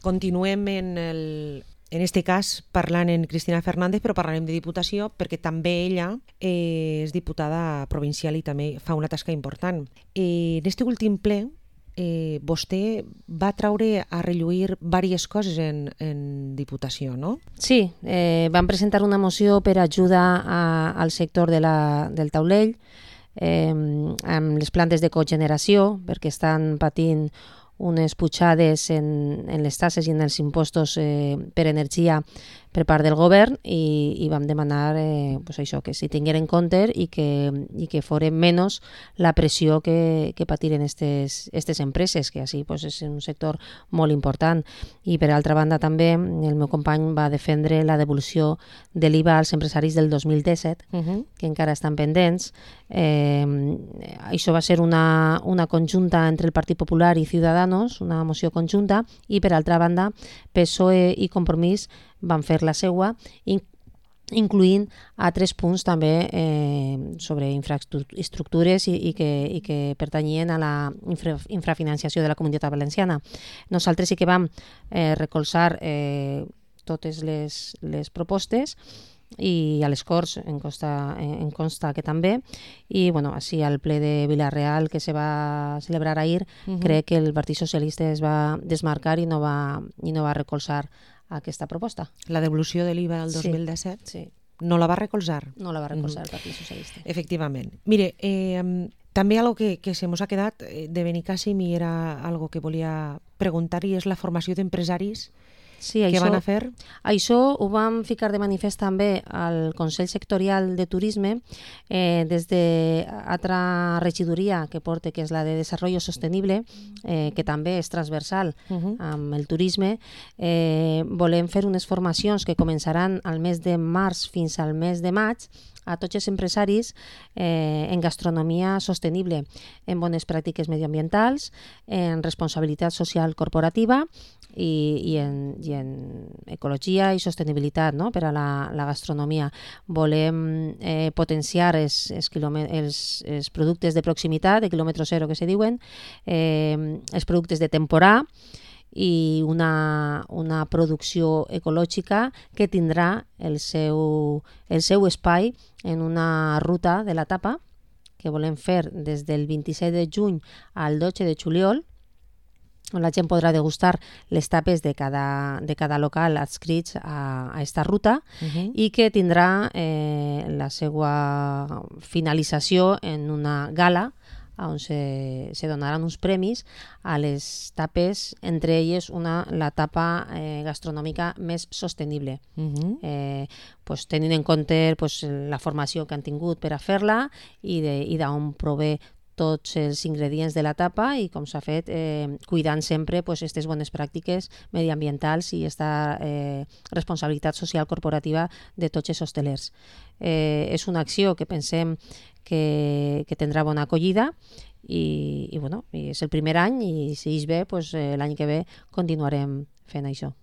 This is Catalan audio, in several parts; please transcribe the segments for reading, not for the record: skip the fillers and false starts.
Continuem en este cas parlant en Cristina Fernández, però parlarem de Diputació perquè també ella és diputada provincial i també fa una tasca important. En este últim ple vostè va traure a relluir diverses coses en Diputació, no? Sí, vam presentar una moció per ajudar al sector del taulell amb les plantes de cogeneració, perquè estan patint unes pujades en les tasses i en els impostos per energia per part del govern i vam demanar això, que s'hi tingueren en compte i que foren menys la pressió que patiren aquestes empreses, que així és un sector molt important. I per altra banda també el meu company va defendre la devolució de l'IVA als empresaris del 2017, que encara estan pendents. Això va ser una conjunta entre el Partit Popular i Ciudadanos, una moció conjunta, i per altra banda PSOE i Compromís van fer la seua, incloent altres punts també sobre infraestructures i que pertanyien a la infrafinanciació de la Comunitat Valenciana. Nosaltres sí que vam recolzar totes les propostes i a les Corts em consta que també, i així al ple de Vila-real que se va celebrar ahir, crec que el Partit Socialista es va desmarcar i no va recolzar aquesta proposta. La devolució de l'IVA del 2017? Sí. No la va recolzar? No la va recolzar el Partit Socialista. Efectivament. Mire, també algo que se mos ha quedat de Benicàssim i era algo que volia preguntar, i és la formació d'empresaris que van a fer. Això ho vam ficar de manifest també al Consell Sectorial de Turisme des d'altra regidoria que porta, que és la de Desarrollo Sostenible, que també és transversal amb el turisme. Volem fer unes formacions que començaran al mes de març fins al mes de maig a tots els empresaris en gastronomia sostenible, en bones pràctiques medioambientals, en responsabilitat social corporativa i en ecologia i sostenibilitat, no?, per a la gastronomia. Volem potenciar els productes de proximitat, de quilòmetre zero que se diuen, els productes de temporada, i una producció ecològica que tindrà el seu espai en una ruta de la tapa que volem fer des del 27 de juny al 12 de juliol, on la gent podrà degustar les tapes de cada local adscrits a aquesta ruta, i que tindrà la seva finalització en una gala on se donaran uns premis a les tapes, entre elles la tapa gastronòmica més sostenible, tenint en compte la formació que han tingut per a fer-la i d'on prové tots els ingredients de la tapa i com s'ha fet cuidant sempre aquestes bones pràctiques mediambientals i aquesta responsabilitat social corporativa de tots els hostelers. És una acció que pensem que tindrà bona acollida i és el primer any, i si és bé, l'any que ve continuarem fent això.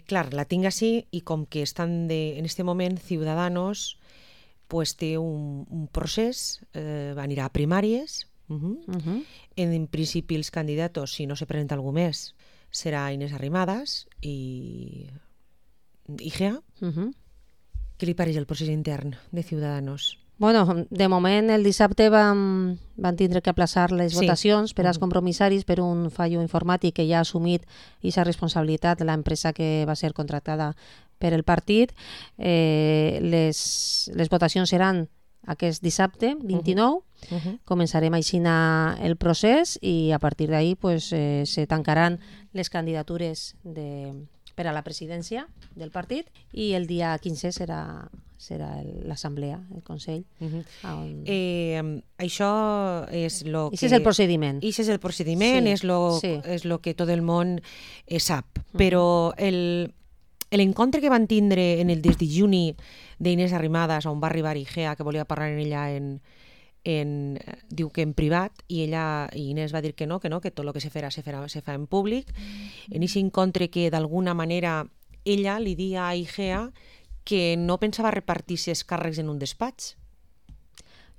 Clar, la tinc així, i com que estan en este moment Ciudadanos té un procés, anirà a primàries. En principi els candidats, si no se presenta algú més, serà Inés Arrimadas i Igea. Què li pareix el procés intern de Ciudadanos? De moment el dissabte van tindre que aplaçar les votacions per als compromissaris per un fallo informàtic que ja ha assumit aquesta responsabilitat l'empresa que va ser contractada per el partit. Les votacions seran aquest dissabte, 29. Començarem així el procés i a partir d'ahí se tancaran les candidatures per a la presidència del partit i el dia 15 serà l'assemblea, el Consell. Això és el que... Això és el procediment. Això és el procediment, és el que tot el món sap. Però l'encontre que van tindre en el des de juny d'Inés Arrimadas, on va arribar Igea, que volia parlar amb ella diu que en privat, i Inés va dir que no, que tot el que se fa en públic. En aquest encontre que d'alguna manera ella li dia a Igea que no pensava repartir-se els càrrecs en un despatx.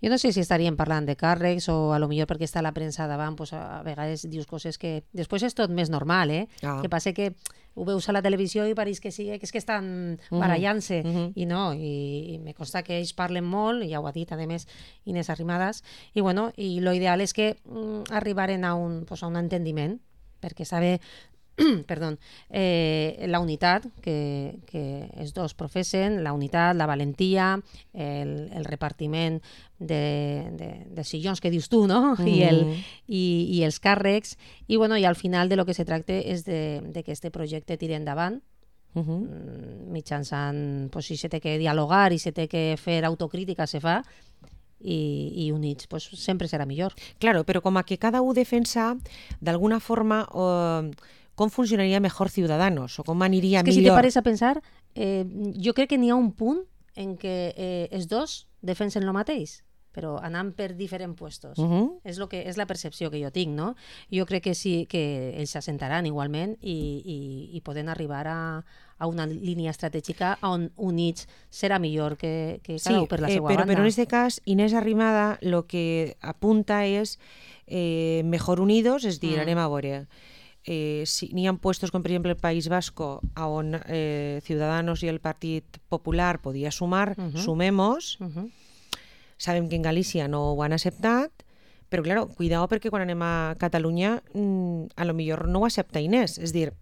Jo no sé si estaríem parlant de càrrecs o a lo millor perquè està la premsa davant, pues a vegades dius coses que... Després és tot més normal, Que passa que ho veus a la televisió i pareix que sí, que és que estan barallant-se, i no, i me consta que ells parlen molt, i ja ho ha dit, a més, Inés Arrimadas, i bueno, i lo ideal és que arribaren a un entendiment, perquè sabe... perdó, la unitat que els dos professen, la unitat, la valentia, el repartiment de sillons que dius tu, no? I els càrrecs, i bueno, i al final de lo que se tracta és de que este projecte tiri endavant, mitjançant, pues, si se té que dialogar i se té que fer autocrítica, se fa, i units, pues sempre serà millor. Claro, però com a que cada un defensa d'alguna forma com funcionaria mejor Ciudadanos o com aniria millor. És que si te pares a pensar, jo crec que n'hi ha un punt en què els dos defensen el mateix, però anant per diferents puestos. És la percepció que jo tinc, no? Jo crec que sí, que ells s'assentaran igualment i poden arribar a una línia estratègica on units serà millor que cada un per la seva banda. Però en aquest cas, Inés Arrimada lo que apunta és mejor unidos, és dir, anem a veure. Si n'hi ha puestos com per exemple el País Vasco on Ciudadanos i el Partit Popular podia sumar, sumemos. Sabem que en Galícia no ho han acceptat, però claro, cuidado perquè quan anem a Catalunya a lo millor no ho accepta Inés, és dir,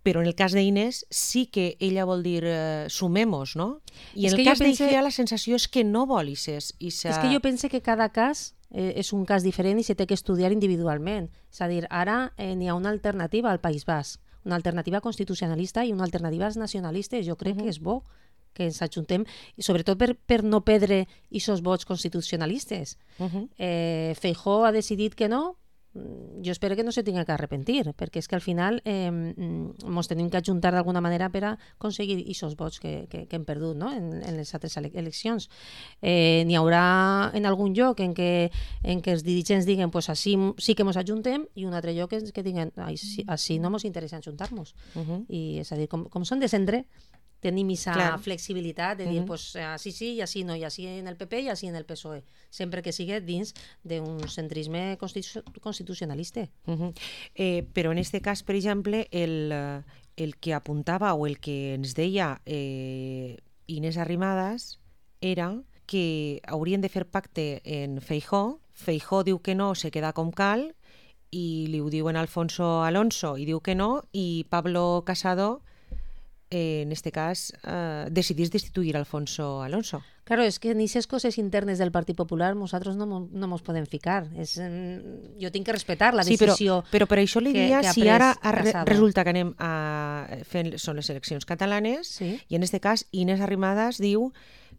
però en el cas d'Inés sí que ella vol dir sumemos, no? I en el cas d'Igea la sensació és que no vol és que jo penso que cada cas és un cas diferent i se té que estudiar individualment. És a dir, ara n'hi ha una alternativa al País Basc, una alternativa constitucionalista i una alternativa als nacionalistes. Jo crec que és bo que ens ajuntem, i sobretot per no perdre aquests vots constitucionalistes. Feijóo ha decidit que no, jo espero que no se tinga que arrepentir, perquè és que al final ens tenim que ajuntar d'alguna manera per a aconseguir aquests vots que hem perdut, no? en les altres eleccions. N'hi haurà en algun lloc en què els dirigents diguen pues així sí que ens ajuntem, i un altre lloc que diguen així no ens interessa ajuntar-nos. I és a dir, com són de centre, tenim aquesta flexibilitat de dir, pues, així sí i així no, i així en el PP i així en el PSOE, sempre que sigui dins d'un centrisme constitucionalista. Però en aquest cas, per exemple, el que apuntava o el que ens deia Inés Arrimadas era que haurien de fer pacte en Feijóo. Feijóo diu que no, se queda com cal, i li ho diuen Alfonso Alonso i diu que no, i Pablo Casado en este cas decidís destituir Alfonso Alonso. Claro, és que en aquestes coses internes del Partit Popular nosaltres no ens podem ficar. Jo tinc que respectar la decisió. Però per això li diria, si ara resulta que anem a fer, són les eleccions catalanes, i en aquest cas Inés Arrimadas diu,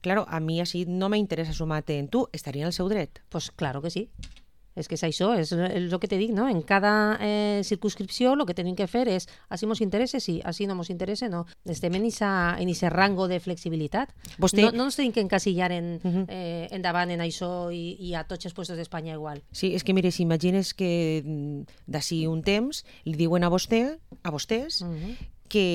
claro, a mi així no m'interessa sumar-te en tu, estaria en el seu dret. Pues claro que sí. És que és això, és el que te dic, no? En cada circunscripció el que tenim que fer és, així ens interessa, sí, així no ens interessa, no. Estem en aquest rango de flexibilitat. No ens tenim que encasillar endavant en això i a tots els puestos d'Espanya igual. Sí, és que mire, si imagines que d'ací un temps li diuen a vostès que,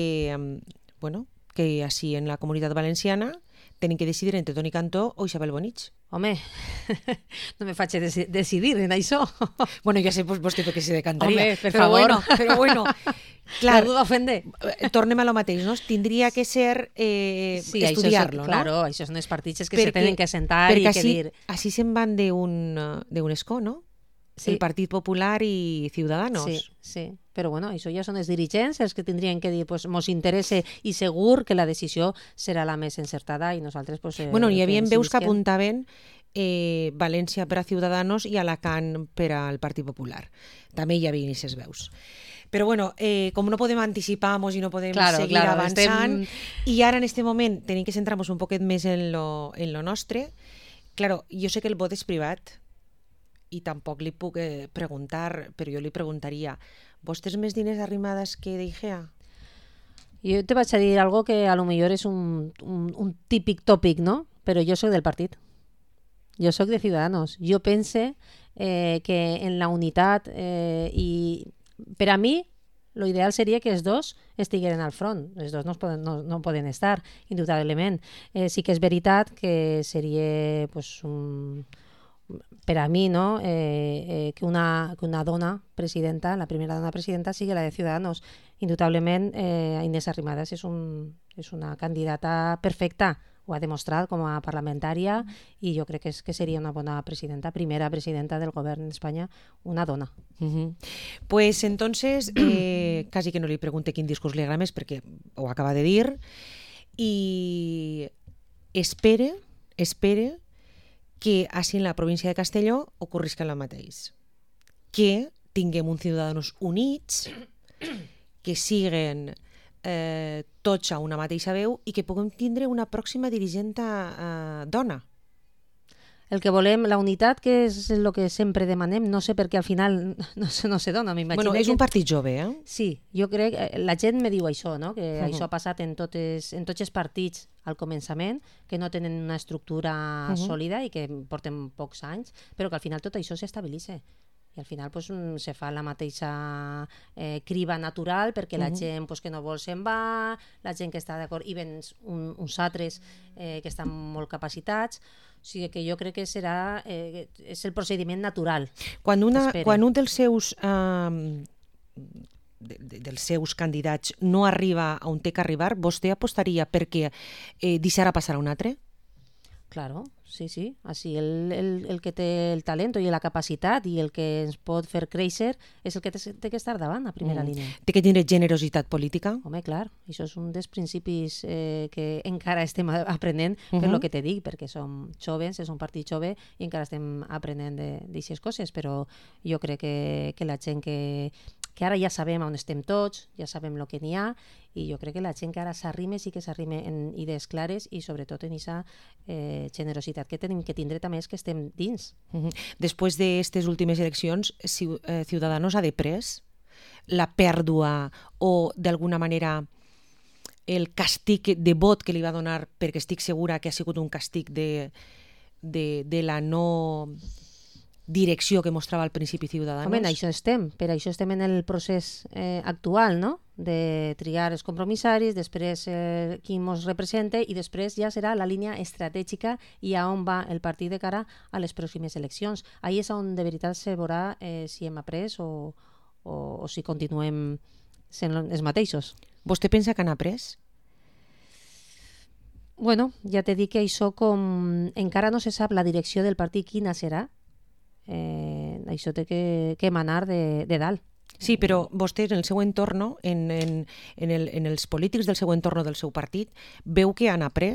bueno, que així en la Comunitat Valenciana tenen que decidir entre Toni Cantó o Isabel Bonich. Home, no me faig decidir en això. Bueno, ja sé vos que se decantaria. Home, per favor. Però bueno, clar, la duda ofende. Tornem a lo mateix, no? Tindria que ser estudiar-lo, no? Claro, això són els partits que se tenen que sentar i que dir... Perquè així se'n van d'un escó, no? Sí. El Partit Popular i Ciudadanos. Sí. Però bueno, això ja són els dirigents els que tindrien que dir, pues, mos interessa i segur que la decisió serà la més encertada i nosaltres... Pues, bueno, hi havia veus que apuntaven València per a Ciudadanos i Alacant per al Partit Popular. També hi havia aquestes veus. Però bueno, com no podem anticipar-nos i no podem seguir avançant, i ara en aquest moment tenim que centrar-nos un poquet més en lo nostre, claro, jo sé que el vot és privat, i tampoc li puc preguntar, però jo li preguntaria, vos tens més diners Arrimadas que d'Igea? Jo te vaig a dir algo que a lo millor és un típic tòpic, no? Però jo soc del partit. Jo soc de Ciudadanos. Jo pense que en la unitat i per a mi lo ideal seria que els dos estigueren al front. Els dos no poden estar, indubtablement. Sí que és veritat que seria pues, per a mi, no? Que una dona presidenta, la primera dona presidenta, sigui la de Ciudadanos. Indubtablement, Inés Arrimadas és una candidata perfecta, ho ha demostrat com a parlamentària i jo crec que seria una bona presidenta, primera presidenta del govern d'Espanya, una dona. Pues entonces, quasi que no li pregunte quin discurs li agrada més perquè ho acaba de dir i espere que així en la província de Castelló ocorrisca el mateix, que tinguem uns ciutadans units, que siguen tots a una mateixa veu i que puguem tindre una pròxima dirigenta dona. El que volem, la unitat, que és el que sempre demanem, no sé per què al final no se dona, m'imagino. Bueno, és un partit jove, Sí, jo crec, la gent me diu això, no? Que això ha passat en tots els partits al començament, que no tenen una estructura sòlida i que porten pocs anys, però que al final tot això s'estabilitza. I al final pues, se fa la mateixa criba natural perquè la gent pues, que no vol se'n va, la gent que està d'acord, i ven uns altres que estan molt capacitats. O sigui que jo crec que és el procediment natural. Quan un dels seus candidats no arriba on té que arribar, vostè apostaria perquè deixarà passar a un altre? Claro, sí. Així el que té el talent i la capacitat i el que ens pot fer créixer és el que té que estar davant, a primera línia. Té que tindre generositat política? Home, clar, això és un dels principis que encara estem aprenent per lo que te dic, perquè som joves, és un partit jove i encara estem aprenent d'aixes coses, però jo crec que la gent que ara ja sabem on estem tots, ja sabem el que n'hi ha, i jo crec que la gent que ara s'arrime sí que s'arrime en idees clares i sobretot en aquesta generositat que tenim que tindre també és que estem dins. Després d'aquestes últimes eleccions, Ciudadanos ha deprès la pèrdua o d'alguna manera el castig de vot que li va donar, perquè estic segura que ha sigut un castig de la no direcció que mostrava al principi Ciudadanos. Home, per això estem en el procés actual, no? De triar els compromissaris, després qui ens representa i després ja serà la línia estratègica i a on va el partit de cara a les pròximes eleccions. Ahí és on de veritat se veurà si hem après o si continuem sent els mateixos. Vostè pensa que han après? Bueno, ja t'he dit que això com encara no se sap la direcció del partit quina serà, això té que emanar de dalt. Sí, però vostè en el seu entorn, en els polítics del seu entorn del seu partit, veu que han après?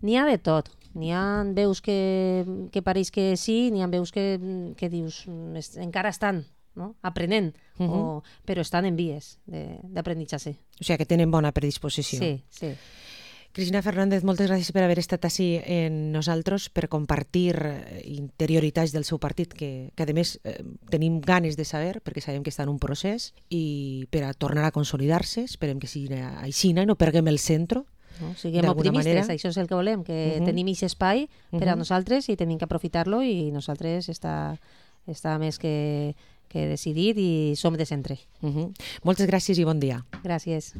N'hi ha de tot. N'hi ha veus que pareix que sí, n'hi ha veus que dius encara estan aprenent, però estan en vies d'aprenentatge. O sigui que tenen bona predisposició. Sí. Cristina Fernández, moltes gràcies per haver estat així en nosaltres, per compartir interioritats del seu partit, que a més tenim ganes de saber, perquè sabem que està en un procés, i per a tornar a consolidar-se, esperem que sigui així i no perguem el centre. Siguem optimistes, això és el que volem, que tenim aquest espai per a nosaltres i tenim que aprofitar-lo i nosaltres està més que decidit i som de centre. Moltes gràcies i bon dia. Gràcies.